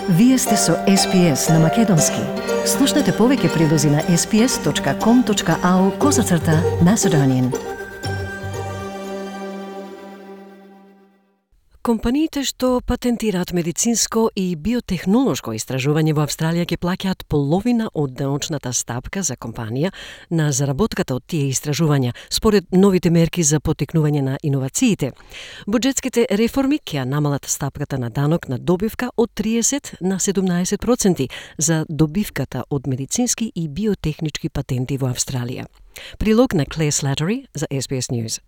Вие сте со SPS на Македонски. Слушнете повеќе прилози на sps.com.au/Macedonian. Компаниите што патентираат медицинско и биотехнолошко истражување во Австралија ќе плаќаат половина од даночната стапка за компанија на заработката од тие истражувања, според новите мерки за поттикнување на иновациите. Буџетските реформи ќе намалат стапката на данок на добивка од 30 на 17% за добивката од медицински и биотехнички патенти во Австралија. Прилог на Claire Slattery за SBS News.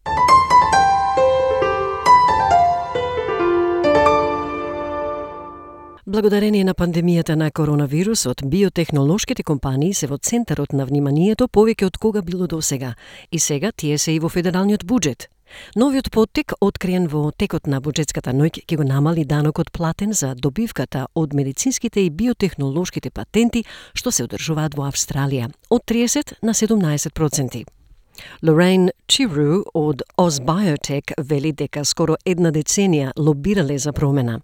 Благодарение на пандемијата на коронавирусот, биотехнолошките компании се во центарот на вниманието повеќе од кога било досега. И сега тие се и во федералниот буџет. Новиот поттик, откриен во текот на буџетската ноќ, ќе го намали данокот платен за добивката од медицинските и биотехнолошките патенти што се одржуваат во Австралија, од 30 на 17%. Lorraine Chiru од AusBiotech вели дека скоро една деценија лобирале за промена.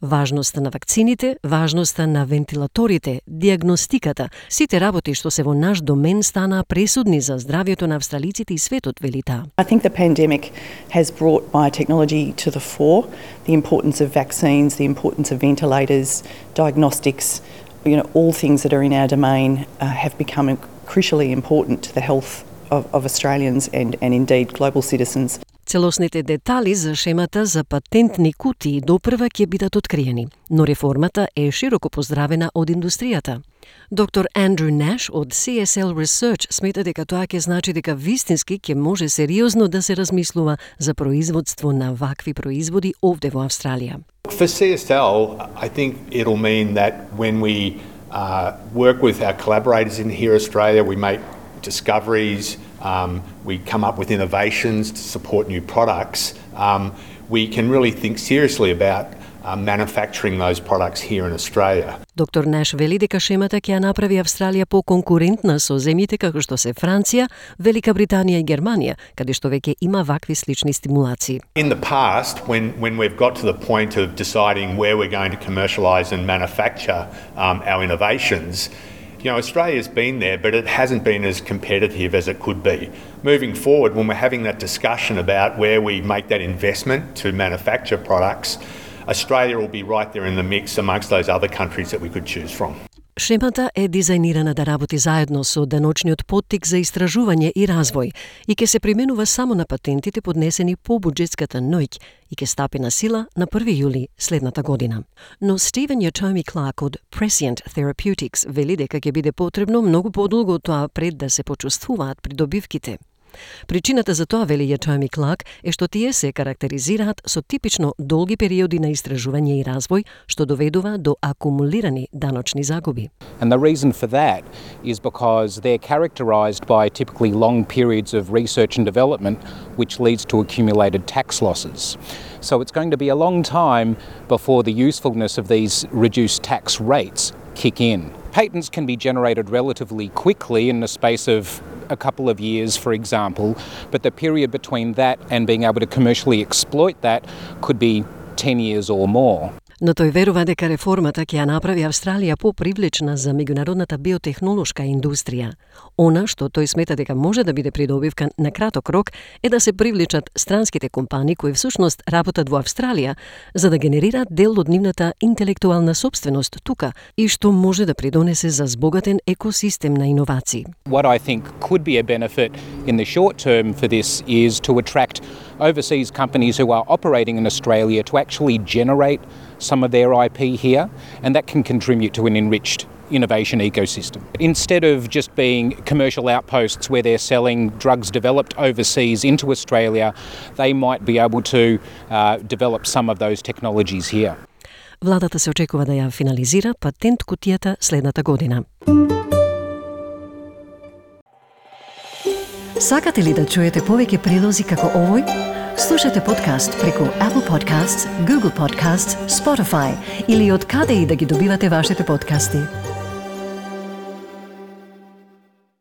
Важноста на вакцините, важноста на вентилаторите, диагностиката, сите работи што се во наш домен станаа пресудни за здравјето на австралиците и светот, вели таа. I think the pandemic has brought biotechnology to the fore, the importance of vaccines, the importance of ventilators, diagnostics, all things that are in our domain have become crucially important to the health of Australians and indeed global citizens. Целосните детали за шемата за патентни кутии допрва ќе бидат откриени, но реформата е широко поздравена од индустријата. Доктор Андрю Наш од CSL Research смета дека тоа ќе значи дека вистински ќе може сериозно да се размислува за производство на вакви производи овде во Австралија. For CSL, I think it'll mean that when we work with our collaborators in here Australia, we make discoveries, we come up with innovations to support new products, we can really think seriously about manufacturing those products here in Australia. Доктор Наш вели дека шемата ќе ја направи Австралија по-конкурентна со земјите како што се Франција, Велика Британија и Германија, каде што веќе има вакви слични стимулации. In the past, when we've got to the point of deciding where we're going to commercialise and manufacture our innovations, Australia's been there, but it hasn't been as competitive as it could be. Moving forward, when we're having that discussion about where we make that investment to manufacture products, Australia will be right there in the mix amongst those other countries that we could choose from. Шемата е дизајнирана да работи заедно со даночниот поттик за истражување и развој и ќе се применува само на патентите поднесени по буџетската ноќ и ќе стапи на сила на 1 јули следната година. Но Стивен Ятоми Кларк од Prescient Therapeutics вели дека ќе биде потребно многу подолго од тоа пред да се почувствуваат придобивките. Причината за тоа, вели Ятоми Кларк, е што тие се карактеризираат со типично долги периоди на истражување и развој, што доведува до акумулирани даночни загуби. And the reason for that is because they're characterised by typically long periods of research and development, which leads to accumulated tax losses. So it's going to be a long time before the usefulness of these reduced tax rates kick in. Patents can be generated relatively quickly in the space of a couple of years, for example, but the period between that and being able to commercially exploit that could be 10 years or more. Но тој верува дека реформата ќе ја направи Австралија попривлечна за меѓународната биотехнолошка индустрија. Она што тој смета дека може да биде придобивка на краток рок е да се привлечат странските компании кои всушност работат во Австралија за да генерираат дел од нивната интелектуална сопственост тука и што може да придонесе за збогатен екосистем на иновации. What I think could be a benefit in the short term for this is to attract overseas companies who are operating in Australia to actually generate some of their IP here, and that can contribute to an enriched innovation ecosystem. Instead of just being commercial outposts where they're selling drugs developed overseas into Australia, they might be able to develop some of those technologies here. Владата се очекува да ја финализира патент кутијата следната година. Сакате ли да чуете повеќе прилози како овој? Слушате подкаст преку Apple Podcasts, Google Podcasts, Spotify или од каде и да ги добивате вашите подкасти.